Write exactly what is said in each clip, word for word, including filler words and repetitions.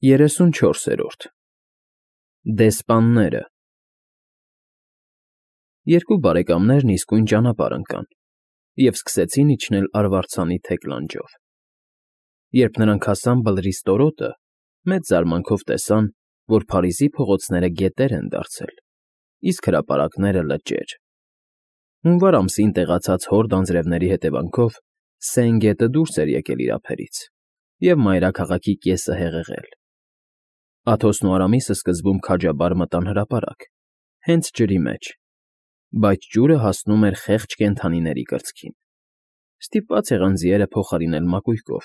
Երեսունչորսերորդ Դեսպանները Երկու բարեկամներն իսկույն ճանապարհ ընկան և սկսեցին իջնել արվարձանի թեք լանջով. երբ նրանք հասան Բլրի ստորոտը, մեծ զարմանքով տեսան, որ Փարիզի փողոցները գետեր են դարձել, իսկ հրապարակները՝ լճեր. հունվար ամսին տեղացած հորդ անձրևների հետևանքով Սեն գետը դուրս էր եկել իր ափերից և մայրաքաղաքի կեսը հեղեղել. Աթոսն ու Արամիսը սկզբում քաջաբար մտան հրապարակ, հենց ջրի մեջ, բայց ջուրը հասնում էր խեղճ կենդանիների կրծքին. ստիպված եղան ձիերը փոխարինել մակույկով,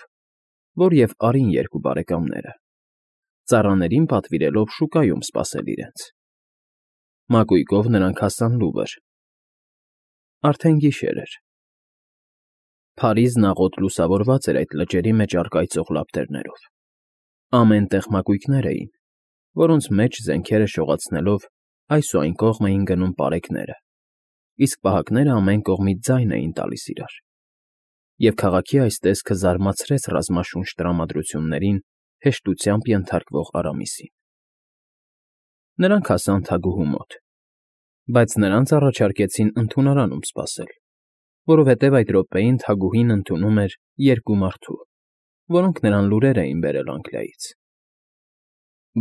որ և արին երկու բարեկամները, ծառաներին պատվիրելով շուկայում սպասել իրենց. մակույկով նրանք հասան Լուվր. արդեն գիշեր էր. Փարիզն աղոտ լուսավորված էր այդ լճերի մեջ առկայծող լապտերներով. ամեն տեղ մակույկներ էին, որոնց մեջ զենքերը շողացնելով այս ու այն կողմ էին գնում պարեկները, իսկ պահակները ամեն կողմից ձայն էին տալիս իրար, և քաղաքի այս տեսքը զարմացրեց ռազմաշունչ տրամադրություններին հեշտությամբ ենթարկվող Արամիսին. Նրանք հասան թագուհու մոտ, բայց նրանց առաջարկեցին ընդունարանում սպասել, որովհետև այդ րոպեին թագուհին ընդունում էր երկու մարդու, որոնք նրան լուրեր էին բերել Անգլիայից։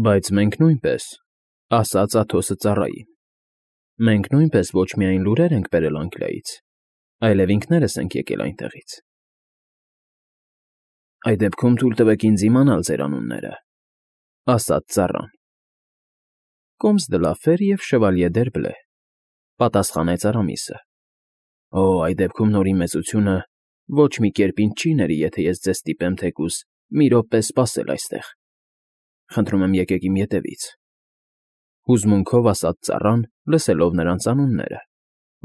Բայց մենք նույնպես, ասաց Աթոսը ծառային, մենք նույնպես ոչ միայն լուրեր ենք բերել Անգլիայից, այլև ինքներս ենք եկել այնտեղից։ Այդ դեպքում թույլ տվեք ինձ իմանալ ձեր անունները, ասաց ծառան։ Կոմս դը Լաֆեր և Շևալյե դ'Երբլե, պատասխանեց Արամիսը։ Օ, այդ դեպքում նորին մեծությունը ոչ մի կերպ ինձ չի ների, եթե ես ձեզ ստիպեմ թեկուզ մի րոպե սպասել այստեղ։ Խնդրում եմ եկեք իմ ետևից, հուզմունքով ասաց ծառան, լսելով նրանց անունները,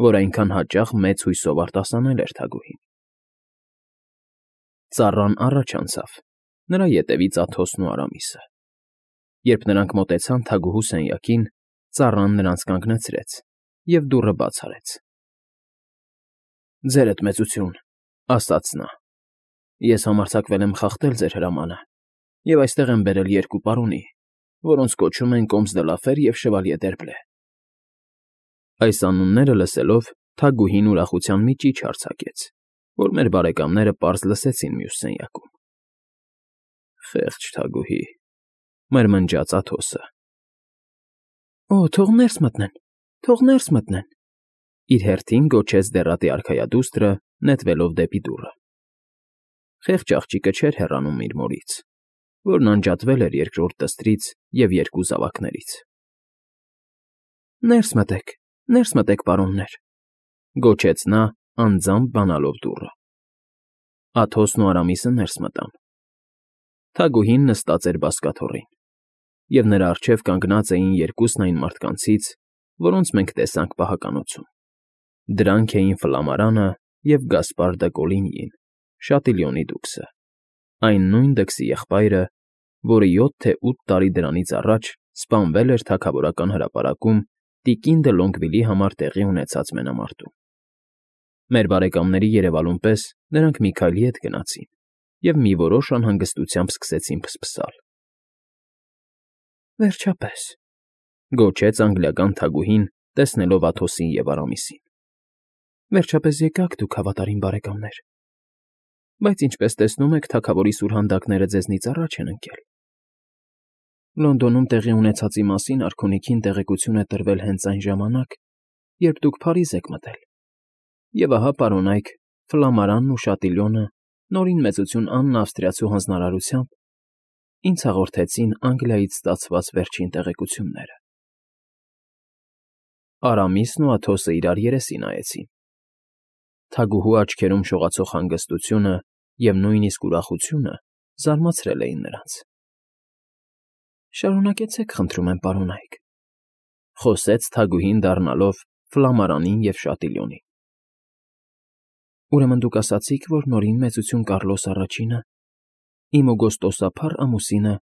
որ այնքան հաճախ մեծ հույսով արտասանել էր թագուհին։ Ծառան առաջ անցավ, նրա ետևից Աթոսն ու Արամիսը։ Երբ նրանք մոտեցան թագուհու սենյակին, ծառան նրանց կանգնեցրեց և դուռը բաց արեց։ Ձերդ մեծություն, ասաց նա, ես համարձակվել եմ խախտել ձեր հրամանը և այստեղ եմ բերել երկու պարոնի, որոնց կոչում են Կոմս դը Լաֆեր և Շևալյե դ'Երբլե։ Այս անունները լսելով թագուհին ուրախության մի ճիչ արձակեց, որ մեր բարեկամները պարզ լսեցին մյուս սենյակում։ Խեղճ թագուհի, մրմնջաց Աթոսը։ Օ, թող ներս մտնեն, թող ներս մտնեն, իր հերթին գոչեց դեռատի արքայադուստրը, նետվելով դեպի դուռը։ Խեղճ աղջիկը չէր հեռանում իր մորից, որն անջատվել էր երկրորդ դստրից և երկու զավակներից։ Ներս մտեք, ներս մտեք, պարոններ, գոչեց նա, անձամբ բանալով դուռը։ Աթոսն ու Արամիսը ներս մտան։ Թագուհին նստած էր բազկաթոռին, և նրա առջև կանգնած էին երկուսն այն մարդկանցից, որոնց մենք տեսանք պահականոցում. դրանք էին Ֆլամարանը և Գասպար դը Կոլինյին, Շատիլյոնի դուքսը, այն նույն դքսի եղբայրը, որը յոթ թե ութ տարի դրանից առաջ սպանվել էր թագավորական հրապարակում տիկին դը Լոնգվիլի համար տեղի ունեցած մենամարտում։ Մեր բարեկամների երևալուն պես նրանք մի քայլ ետ գնացին և մի որոշ անհանգստությամբ սկսեցին փսփսալ։ Վերջապես, գոչեց անգլիական թագուհին, տեսնելով Աթոսին և Արամիսին։ Վերջապես եկաք դուք, հավատարիմ բարեկամներ, բայց ինչպես տեսնում եք, թագավորի սուրհանդակները ձեզնից առաջ են ընկել։ Լոնդոնում տեղի ունեցածի մասին արքունիքին տեղեկություն է տրվել հենց այն ժամանակ, երբ դուք Փարիզ եք մտել, և ահա պարոնայք Ֆլամարանն ու Շատիլյոնը նորին մեծություն Աննը Ավստրիացու հանձնարարությամբ ինձ հաղորդեցին Անգլիայից ստացված վերջին տեղեկությունները։ Արամիսն ու Աթոսը իրար երեսի նայեցին։ Թագուհու աչքերում շողացող հանգստությունը և նույնիսկ ուրախությունը զարմացրել էին նրանց։ Շարունակեցեք, խնդրում եմ, պարոնայք, խոսեց թագուհին, դառնալով Ֆլամարանին և Շատիլյոնին։ Ուրեմն դուք ասացիք, որ նորին մեծություն Կառլոս առաջինը, իմ օգոստոսափառ ամուսինը,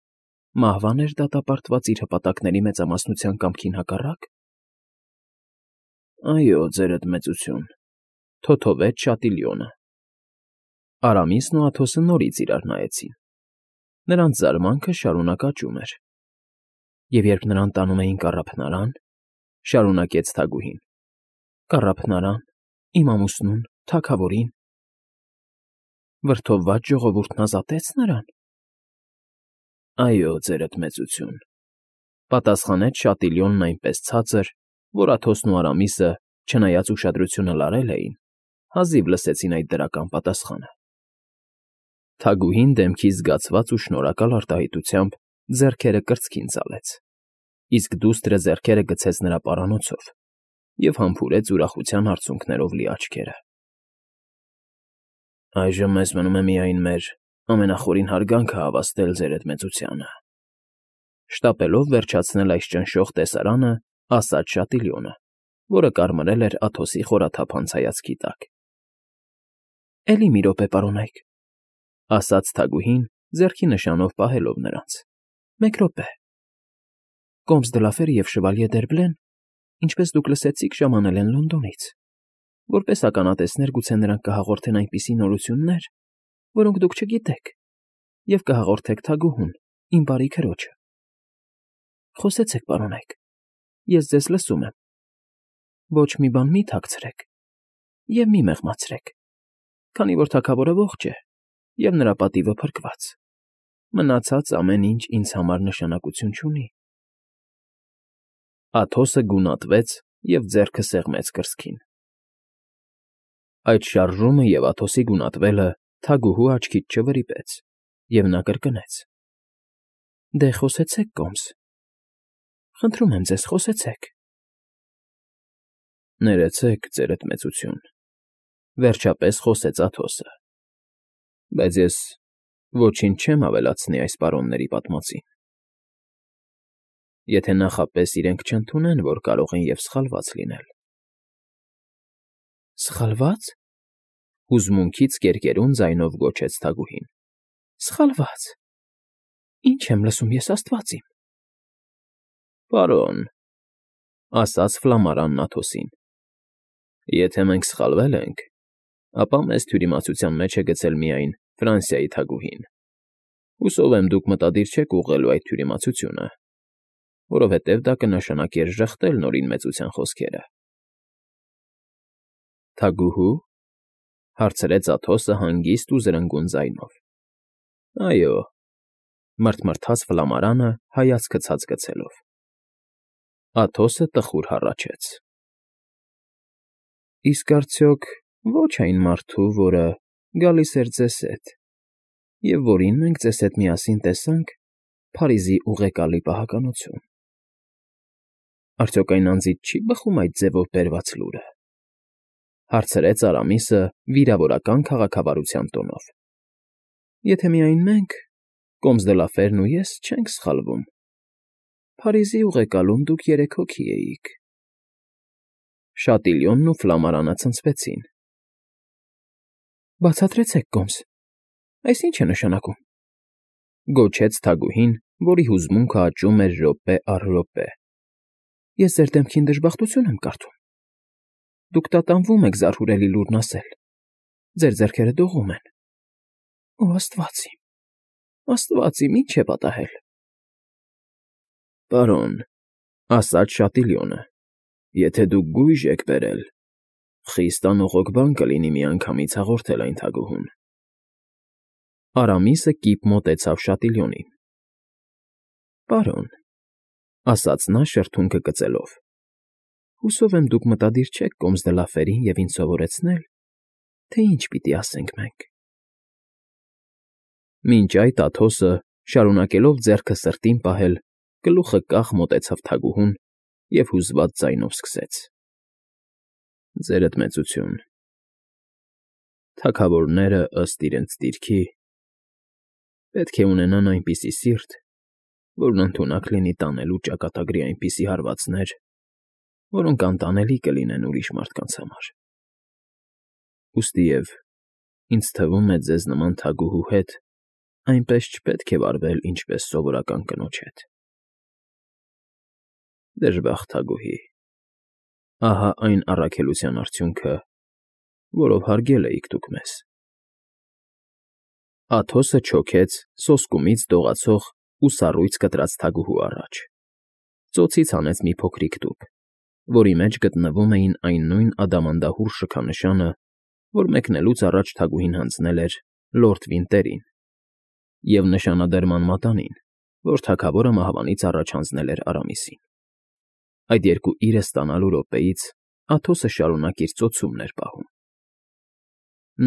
մահվան էր դատապարտված իր հպատակների մեծամասնության կամքին հակառակ։ Այո, ձերդ մեծություն, թոթովեց Շատիլյոնը։ Արամիսն ու Աթոսը նորից իրար նայեցին։ նրանց զարմանքը շարունակ աճում էր։ Եվ երբ նրան տանում էին կառափնարան, շարունակեց Թագուհին, կառափնարան, իմ ամուսնուն, թագավորին… Վրդովված ժողովուրդն ազատեց նրան։ Այո, ձերդ մեծություն, պատասխանեց Շատիլյոնն այնպես ցածր, որ Աթոսն ու Արամիսը, չնայած ուշադրությունը լարել էին, հազիվ լսեցին այդ դրական պատասխանը։ Թագուհին դեմքից զգացված ու շնորհակալ արտահայտությամբ ձեռքերը կրծքին ծալեց, իսկ դուստրը ձեռքերը գցեց նրա պարանոցով և համբուրեց ուրախության արցունքներով լի աչքերը։ Այժմ մեզ մնում է միայն մեր ամենախորին հարգանքը հավաստել ձերդ մեծությանը, շտապելով վերջացնել այս ճնշող տեսարանը, ասաց Շատիլյոնը, որը կարմրել էր Աթոսի խորաթափանց հայացքի տակ։ Էլի մի րոպե, պարոնայք, ասաց Թագուհին, ձեռքի նշանով պահելով նրանց։ Մեկ րոպե… Կոմս դը Լաֆերը և Շվալյե Դերբլեն, ինչպես դուք լսեցիք, ժամանել են Լոնդոնից։ Որպես ականատեսներ գուցե նրանք կհաղորդեն այնպիսի նորություններ, որոնք դուք չգիտեք, և կհաղորդեք Թագուհուն, իմ բարի քրոջը։ Խոսեցեք, պարոնայք, ես ձեզ լսում եմ։ Ոչ մի բան մի թաքցրեք և մի մեղմացրեք, քանի որ թագավորը ողջ է և նրա պատիվը փրկված, մնացած ամեն ինչ ինձ համար նշանակություն չունի։ Աթոսը գունատվեց և ձեռքը սեղմեց կրծքին։ Այդ շարժումը և Աթոսի գունատվելը Թագուհու աչքից չվրիպեց, և նա կրկնեց. Դե խոսեցեք, Կոմս… Խնդրում եմ ձեզ, խոսեցեք… Ներեցեք, ձերդ մեծություն, վերջապես խոսեց Աթոսը, բայց ես ոչինչ չեմ ավելացնի այս պարոնների պատմածին։ Եթե նախապես իրենք չընդունեն, որ կարող են և սխալված լինել։ Սխալվա՞ծ… Հուզմունքից կերկերուն ձայնով գոչեց Թագուհին։ Սխալվա՞ծ… Ինչ եմ լսում ես, աստված իմ… Պարոն, ասաց Ֆլամարանն Աթոսին, եթե մենք սխալվել ենք, ապա մեզ թյուրիմացության մեջ է գցել միայն Ֆրանսիայի թագուհին։ Հուսով եմ, դուք մտադիր չեք ուղղելու այդ թյուրիմացությունը, որովհետև դա կնշանակեր ժխտել Նորին Մեծության խոսքերը։ Թագուհո՞ւ… հարցրեց Աթոսը հանգիստ ու զրնգուն ձայնով։ Այո, մռթմռթաց Ֆլամարանը հայացքը ցած գցելով։ Աթոսը տխուր հառաչեց. Իսկ արդյոք ոչ այն մարդու, որը գալիս էր ձեզ հետ, և որին մենք ձեզ հետ միասին տեսանք Փարիզի ուղեկալի պահականություն… Արդյոք այն անձից չի՞ բխում այդ ձևով բերված լուրը, հարցրեց Արամիսը վիրավորական քաղաքավարության տոնով։ Եթե միայն մենք, Կոմս դը Լաֆերն ու ես չենք սխալվում, Փարիզի ուղեկալում դուք երեք հոգի էիք… Շատիլյոնն ու Ֆլամարանը ցնցվեցին։ Բացատրեցեք, Կոմս, այս ի՞նչ է նշանակում, գոչեց Թագուհին, որի հուզմունքը աճում էր րոպե առ րոպե։ Ես ձեր դեմքին դժբախտություն եմ կարդում։ Դուք տատանվում եք զարհուրելի լուրն ասել, ձեր ձեռքերը դողում են… Օ, աստված իմ, աստված իմ, ի՞նչ է պատահել… Պարոն, ասաց Շատիլյոնը, եթե դուք գույժ եք բերել, խիստ անողոք բան կլինի միանգամից հաղորդել այն թագուհուն… Արամիսը կիպ մոտեցավ Շատիլյոնին։ Պարոն, ասաց նա շրթունքը կծելով, հուսով եմ դուք մտադիր չեք Կոմս դը Լաֆերին և ինձ սովորեցնել, թե ինչ պիտի ասենք մենք… Մինչ այդ Աթոսը, շարունակելով ձեռքը սրտին պահել, գլուխը կախ մոտեցավ թագուհուն և հուզված ձայնով սկսեց. Ձերդ մեծություն, թագավորները, ըստ իրենց դիրքի, պետք է ունենան այնպիսի սիրտ, որն ընդունակ լինի տանելու ճակատագրի այնպիսի հարվածներ, որոնք անտանելի կլինեն ուրիշ մարդկանց համար… Ուստիև ինձ թվում է ձեզ նման թագուհու հետ այնպես չպետք է վարվել, ինչպես սովորական կնոջ հետ… Դժբախտ թագուհի, ահա այն առաքելության արդյունքը, որով հարգել էիք դուք մեզ… Աթոսը չոքեց սոսկումից դողացող ու սառույց կտրած թագուհու առաջ, ծոցից հանեց մի փոքրիկ տուփ, որի մեջ գտնվում էին այն նույն ադամանդահուռ շքանշանը, որ մեկնելուց առաջ թագուհին հանձնել էր լորդ Վինտերին, և նշանադրման մատանին, որ թագավորը մահվանից առաջ հանձնել էր Արամիսին։ Այդ երկու իրը ստանալու րոպեից Աթոսը շարունակ իր ծոցումն էր պահում։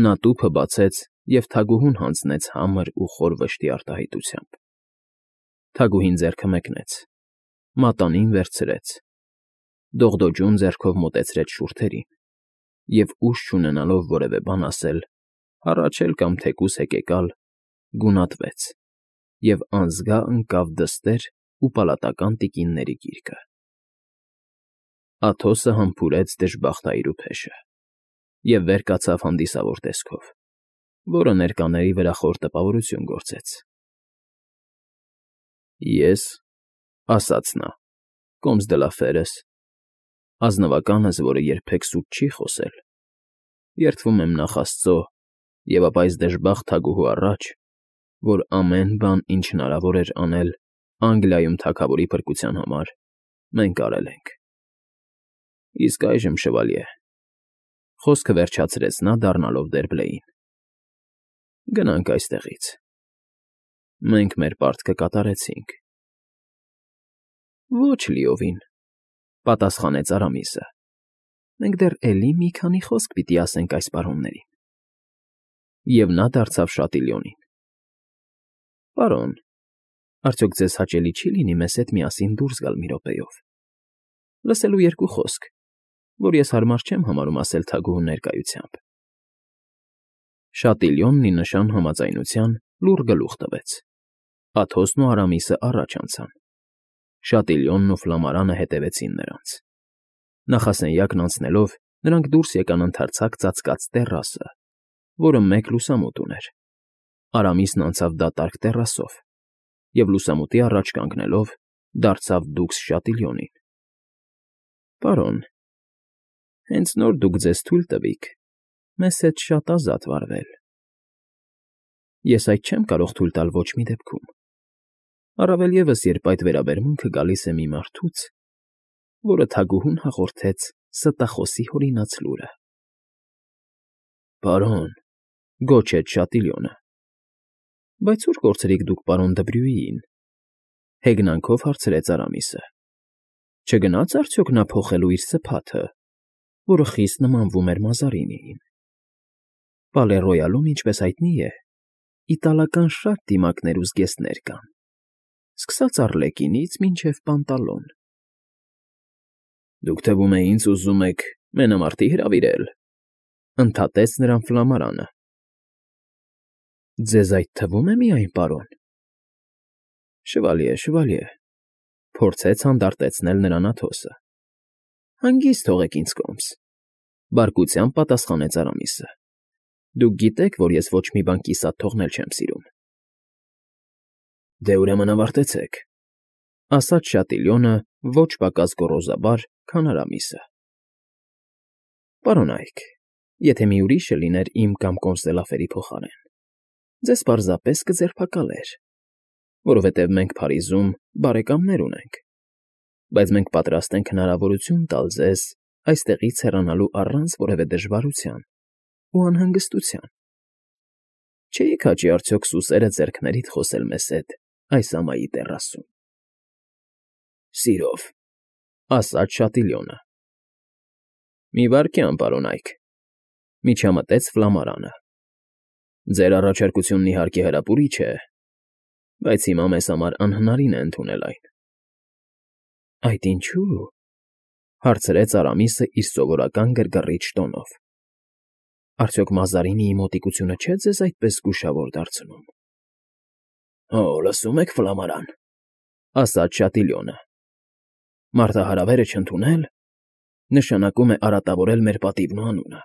Նա տուփը բացեց և թագուհուն հանձնեց համր ու խոր վշտի արտահայտությամբ։ Թագուհին ձեռքը մեկնեց, մատանին վերցրեց, դողդոջուն ձեռքով մոտեցրեց շուրթերին և, ուժ չունենալով որևէ բան ասել, հառաչել կամ թեկուզ հեկեկալ, գունատվեց և անզգա ընկավ դստեր ու պալատական տիկինների գիրկը։ Աթոսը համբուրեց դժբախտայրու փեշը և վեր կացավ հանդիսավոր տեսքով, որը ներկաների վրա խոր տպավորություն գործեց։ «Ես, — ասաց նա, կոմս դը լա ֆերս, ազնվականս, որը երբեք սուտ չի խոսել, երդվում եմ նախ Աստծո և ապա այս դժբախտ թագուհու առաջ, որ ամեն բան, ինչ հնարավոր էր անել Անգլիայում թագավորի փրկության համար, մենք արել ենք։ Իսկ այժմ, շվալյե, — խոսքը վերջացրեց նա, դառնալով Դերբլեյին, — գնանք այստեղից. մենք մեր պարտքը կատարեցինք։ ֊ Ոչ լիովին, — պատասխանեց Արամիսը, — մենք դեռ էլի մի քանի խոսք պիտի ասենք այս պարոններին։ Եվ նա դարձավ Շատիլյոնին. Պարոն, արդյոք ձեզ հաճելի չի լինի մեզ հետ միասին դուրս գալ մի րոպեով, լսելու երկու խոսք, որ ես հարմար չեմ համարում ասել թագուհու ներկայությամբ։ Շատիլյոնն ի նշան համաձայնության լուռ գլուխ տվեց։ Աթոսն ու Արամիսը առաջ անցան։ Շատիլյոնն ու Ֆլամարանը հետևեցին նրանց։ Նախասենյակն անցնելով՝ նրանք դուրս եկան ընդարձակ ծածկած տեռասը, որը մեկ լուսամուտ ուներ։ Արամիսն անցավ դատարկ տեռասով և, լուսամուտի առաջ կանգնելով, դարձավ դուքս Շատիլյոնին. ֊ Պարոն, հենց նոր դուք ձեզ թույլ տվիք մեզ հետ շատ ազատ վարվել։ Ես այդ չեմ կարող թույլ տալ ոչ մի դեպքում, առավել ևս, երբ այդ վերաբերմունքը գալիս է մի մարդուց, որը թագուհուն հաղորդեց ստախոսի հորինած լուրը։ ֊ Պարոն, — գոչեց Շատիլյոնը, — բայց ո՞ւր կորցրիք դուք պարոն Դբրյուիին,֊ հեգնանքով հարցրեց Արամիսը։ Չգնա՞ց արդյոք նա փոխելու իր սփաթը, որը խիստ նմանվում էր Մազարինիին։ Պալե֊Ռոյալում, ինչպես հայտնի է, իտալական շատ դիմակներ ու զգեստներ կան, սկսած Առլեկինից մինչև Պանտալոն։ ֊ Դուք, թվում է, ինձ ուզում եք մենամարտի հրավիրել,֊ ընդհատեց նրան Ֆլամարանը։ ֊ Ձեզ այդ թվում է միայն, պարոն։ ֊ Շվալյե, շվալյե, — փորձեց հանդարտեցնել նրան Աթոսը։ ֊ Հանգիստ թողեք ինձ կոմս, — բարկությամբ պատասխանեց Արամիսը։ Դուք գիտեք, որ ես ոչ մի բան կիսատ թողնել չեմ սիրում։ ֊ Դե, ուրեմն ավարտեցեք, — ասաց Շատիլյոնը ոչ պակաս գոռոզաբար, քան Արամիսը։ ֊ Պարոն Այք, եթե մի ուրիշը լիներ իմ կամ Կոմսդելաֆերի փոխարեն, ձեզ պարզապես կձերբակալեր, որովհետև մենք Փարիզում բարեկամներ ունենք, բայց մենք պատրաստ ենք հնարավորություն տալ ձեզ այստեղից հեռանալու առանց որևէ դժվարության ու անհանգստության։ Չէի՞ք հաճի արդյոք սուսերը ձեռքներիդ խոսել մեզ հետ այս ամայի տեռասում։ ֊ Սիրով, — ասաց Շատիլյոնը։ ֊ Մի վայրկյան, պարոն Այք, — միջամտեց Ֆլամարանը։ Ձեր առաջարկությունն իհարկե հրապուրիչ է, բայց հիմա մեզ համար անհնարին է ընդունել այն։ ֊ Այդ ինչո՞ւ,֊ հարցրեց Արամիսը իր սովորական գրգռիչ տոնով։ ֊ Արդյոք Մազարինիի մոտիկությունը չէ՞ ձեզ այդպես զգուշավոր դարձնում։ ֊ Հո, լսում եք, Ֆլամարան, — ասաց Շատիլյոնը, — մարտահրավերը չընդունել նշանակում է արատավորել մեր պատիվն ու անունը։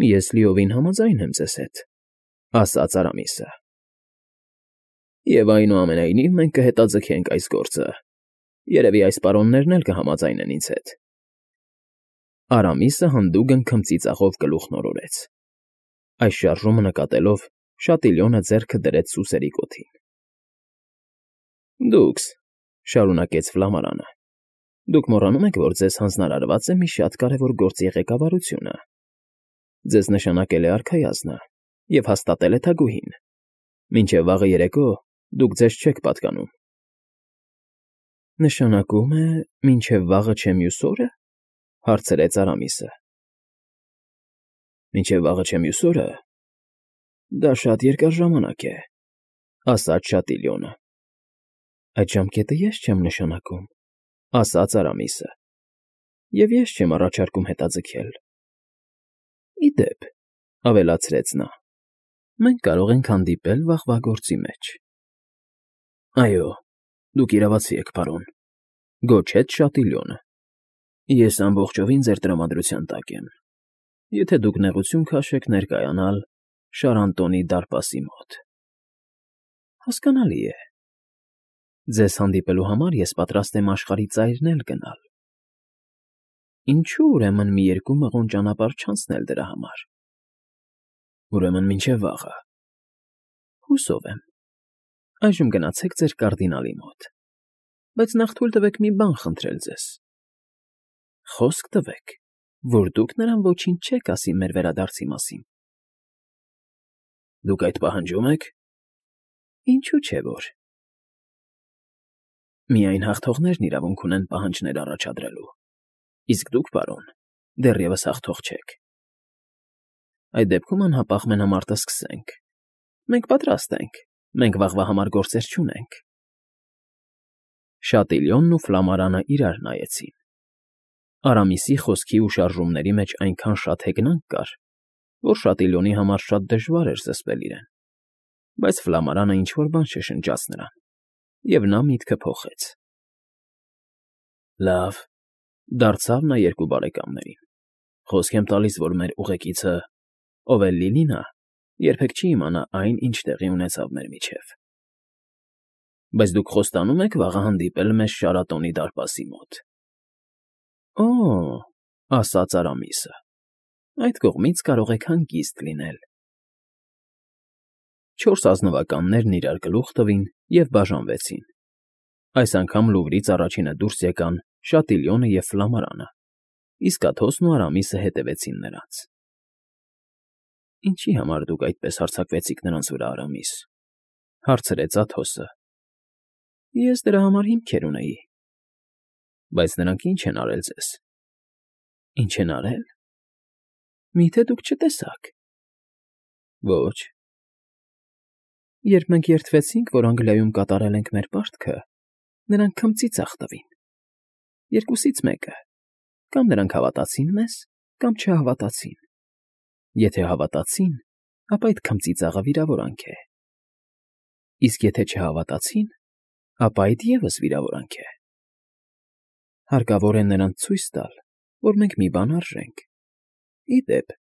֊ Ես լիովին համաձայն եմ ձեզ հետ, — ասաց Արամիսը։ ֊ Եվ այնուամենայնիվ մենք կհետաձգենք այս գործը, երևի այս պարոններն էլ կհամաձայնեն ինձ հետ։ Արամիսը հանդուգն քմծիծաղով գլուխն օրորեց։ Այս շարժումը նկատելով՝ Շատիլյոնը ձեռքը դրեց սուսերի կոթին։ Դուքս, շարունակեց Ֆլամարանը, դուք մոռանում եք, որ ձեզ հանձնարարված է մի շատ կարևոր գործի ղեկավարությունը։ Ձեզ նշանակել է արքայազնը և հաստատել է թագուհին։ Մինչև վաղը երեկո դուք ձեզ չեք պատկանում։ Նշանակում է, մինչև վաղը չէ մյուս օրը, հարցրեց Արամիսը։ Մինչև վաղը չէ մյուս օրը, դա շատ երկար ժամանակ է, ասաց Շատիլյոնը։ Այդ ժամկետը ես չեմ նշանակում, ասաց Արամիսը, և ես չեմ առաջարկում հետաձգել։ Ի դեպ, ավելացրեց նա, մենք կարող ենք հանդիպել վաղվա գործի մեջ։ Այո, դուք իրավացի եք, պարոն, գոչեց Շատիլյոնը։ Ես ամբողջովին ձեր տրամադրության տակ եմ, եթե դուք նեղություն քաշեք ներկայանալ Շարանտոնի դարպասի մոտ։ Հասկանալի է։ Ձեզ հանդիպելու համար ես պատրաստ եմ աշխարհի ծայրն էլ գնալ։ Ինչու ուրեմն մի երկու մղոն ճանապարհ չանցնել դրա համար։ Ուրեմն մինչև վաղը։ Հուսով եմ։ Այժմ գնացեք ձեր կարդինալի մոտ, բայց նախ թույլ տվեք մի բան խնդրել ձեզ։ Խոսք տվեք, որ դուք նրան ոչինչ չեք ասի մեր վերադարձի մասին։ Դուք այդ պահանջում եք։ Ինչու՞ չէ որ։ Միայն հաղթողներն իրավունք ունեն պահանջներ առաջադրելու, իսկ դուք, պարոն, դեռևս հաղթող չեք։ Այդ դեպքում անհապաղ մենամարտը սկսենք։ Մենք պատրաստ ենք, մենք վաղվա համար գործեր չունենք։ Շատիլյոնն ու Ֆլամարանը իրար նայեցին։ Արամիսի խոսքի ու շարժումների մեջ այնքան շատ հեգնանք կար, որ Շատիլյոնի համար շատ դժվար էր զսպել իրեն, բայց Ֆլամարանը ինչ֊որ բան շշնջաց նրան, և նա միտքը փոխեց։ Լավ, դարձավ նա երկու բարեկամներին, խոսք եմ տալիս, որ մեր ուղեկիցը, ով էլ լինի նա, երբեք չի իմանա այն, ինչ տեղի ունեցավ մեր միջև։ Բայց դուք խոստանում եք վաղը հանդիպել մեզ Շարատոնի դարպասի մոտ։ Օ, ասաց Արամիսը, այդ կողմից կարող եք հանգիստ լինել։ Չորս ազնվականներն իրար գլուխ տվին և բաժանվեցին։ Այս անգամ Լուվրից առաջինը դուրս եկան Շատիլյոնը և Ֆլամարանը, իսկ Աթոսն ու Արամիսը հետևեցին նրանց։ Ինչի համար դուք այդպես հարձակվեցիք նրանց վրա, Արամիս, հարցրեց Աթոսը։ Ես դրա համար հիմքեր ունեի։ Բայց նրանք ինչ են արել ձեզ։ Ինչ են արել։ Միթե դուք չտեսաք։ Ոչ։ Երբ մենք երդվեցինք, որ Անգլիայում կատարել ենք մեր պարտքը, նրանք քմծիծաղ տվին։ Երկուսից մեկը. կամ նրանք հավատացին մեզ, կամ չհավատացին։ Եթե հավատացին, ապա այդ քմծիծաղը վիրավորանք է։ Իսկ եթե չհավատացին, ապա այդ ևս վիրավորանք է։ Հարկավոր է նրանց ցույց տալ, որ մենք մի բան արժենք։ Ի դեպ,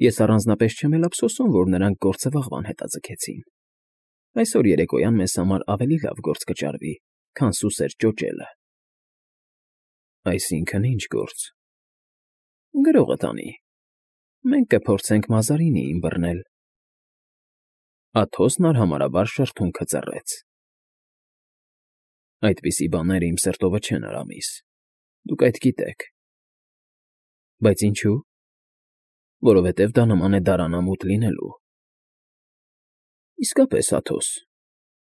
ես առանձնապես չեմ էլ ափսոսում, որ նրանք գործը վաղվան հետաձգեցին։ Այսօր երեկոյան մեզ համար ավելի լավ գործ կճարվի, քան սուսեր ճոճելը։ Այսինքն ինչ գործ։ Գրողը տանի։ Մենք կփորձենք Մազարինիին բռնել։ Աթոսն արհամարհաբար շրթունքը ծռեց։ Այդպիսի բաները իմ սրտովը չեն, Արամիս, դուք այդ գիտեք։ Բայց ինչու։ Որովհետև դա նման է դարանամութ լինելու։ Իսկապես, Աթոս,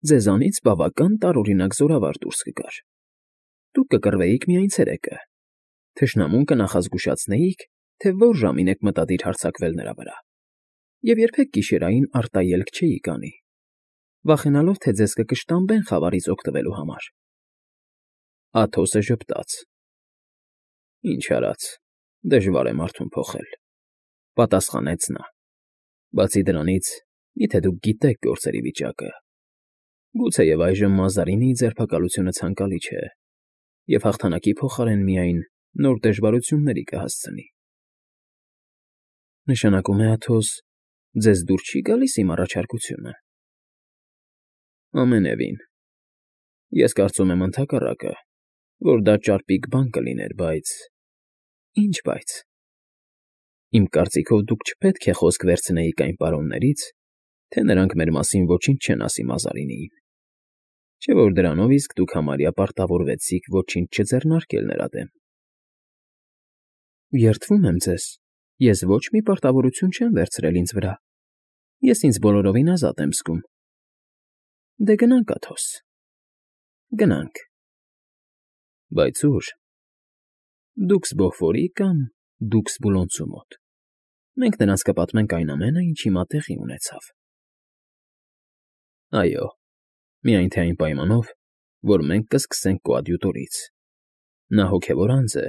ձեզանից բավական տարօրինակ զորավար դուրս կգար։ Դուք կկռվեիք միայն ցերեկը, թշնամուն կնախազգուշացնեիք, թե որ ժամին եք մտադիր հարձակվել նրա վրա, և երբեք գիշերային արտաելք չէիք անի, վախենալով, թե ձեզ կկշտամբեն խավարից օգտվելու համար։ Աթոսը ժպտաց։ Ինչ արած, դժվար է մարդուն փոխել, պատասխանեց նա։ Բացի դրանից, միթե դուք գիտեք գործերի վիճակը։ Գուցեև այժմ Մազարինիի ձերբակալությունը ցանկալի չէ, և հաղթանակի փոխարեն միայն նոր դժվարությունների կհասցնի։ Նշանակում է, Աթոս, ձեզ դուր չի գալիս իմ առաջարկությունը։ Ամենևին։ Ես կարծում եմ ընդհակառակը, որ դա ճարպիկ բան կլիներ, բայց… Ինչ բայց։ Իմ կարծիքով դուք չպետք է խոսք վերցնեիք այն պարոններից, թե նրանք մեր մասին ոչինչ չեն ասի Մազարինիին, չէ՞ որ դրանով իսկ դուք համարյա պարտավորվեցիք ոչինչ չձեռնարկել նրա դեմ։ ֊ Երդվում եմ ձեզ, ես ոչ մի պարտավորություն չեմ վերցրել ինձ վրա, ես ինձ բոլորովին ազատ եմ զգում։ Դե գնանք, Աթոս, գնանք։ ֊ Բայց ո՞ւր։ Դուքս Բոֆորի կամ դուքս Բուլոնցու մոտ։ Մենք նրանց կպատմենք այն ամենը, ինչ հիմա տեղի ունեցավ։ ֊ Այո, միայն թե այն պայմանով, որ մենք կսկսենք կոադյուտորից։ Նա հոգևոր անձ է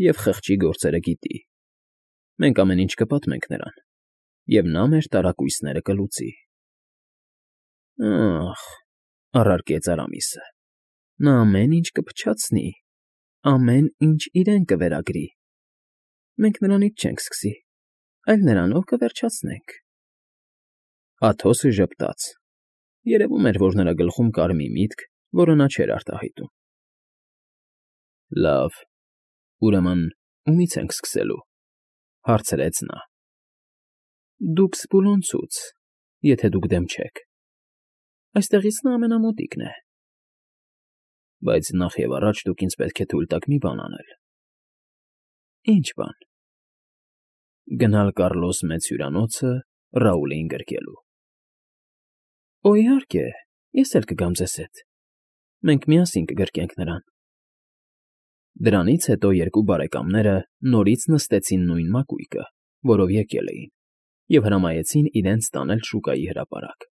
և խղճի գործերը գիտի։ Մենք ամեն ինչ կպատմենք նրան, և նա մեր տարակույսները կլուծի։ ֊ Ա՜խ,֊ առարկեց Արամիսը,֊ նա ամեն ինչ կփչացնի, ամեն ինչ իրեն կվերագրի։ Մենք նրանից չենք սկսի, այլ նրանով կվերջացնենք։ Աթոսը ժպտաց. երևում էր, որ նրա գլխում կար մի միտք, որը նա չէր արտահայտում։ ֊ Լավ, ուրեմն ումի՞ց ենք սկսելու,֊ հարցրեց նա։ ֊ Դուքս Բուլոնցուց, եթե դուք դեմ չեք. այստեղից նա ամենամոտիկն է։ ֊ Բայց նախևառաջ դուք ինձ պետք է թույլ տաք մի բան անել։ ֊ Ի՞նչ բան։ ֊ Գնալ Կառլոս Մեծ հյուրանոցը Ռաուլին գրկելու։ ֊ Օ, իհարկե, ես էլ կգամ ձեզ հետ, մենք միասին կգրկենք նրան։ Դրանից հետո երկու բարեկամները նորից նստեցին նույն մակույկը, որով եկել էին, և հրամայեցին իրենց տանել շուկայի հրապարակ։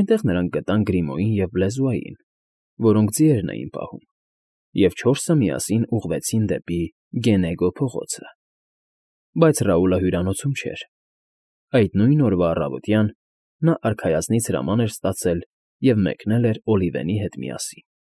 Այնտեղ նրանք գտան Գրիմոյին և Բլեզուային, որոնք ձիերն էին պահում, և չորսը միասին ուղղվեցին դեպի Գենեգո փողոցը։ Բայց Ռաուլը հյուրանոցում չէր։ Այդ նույն օրվա առավոտյան նա արքայազնից հրաման էր ստացել և մեկնել էր Օլիվենի հետ միասին։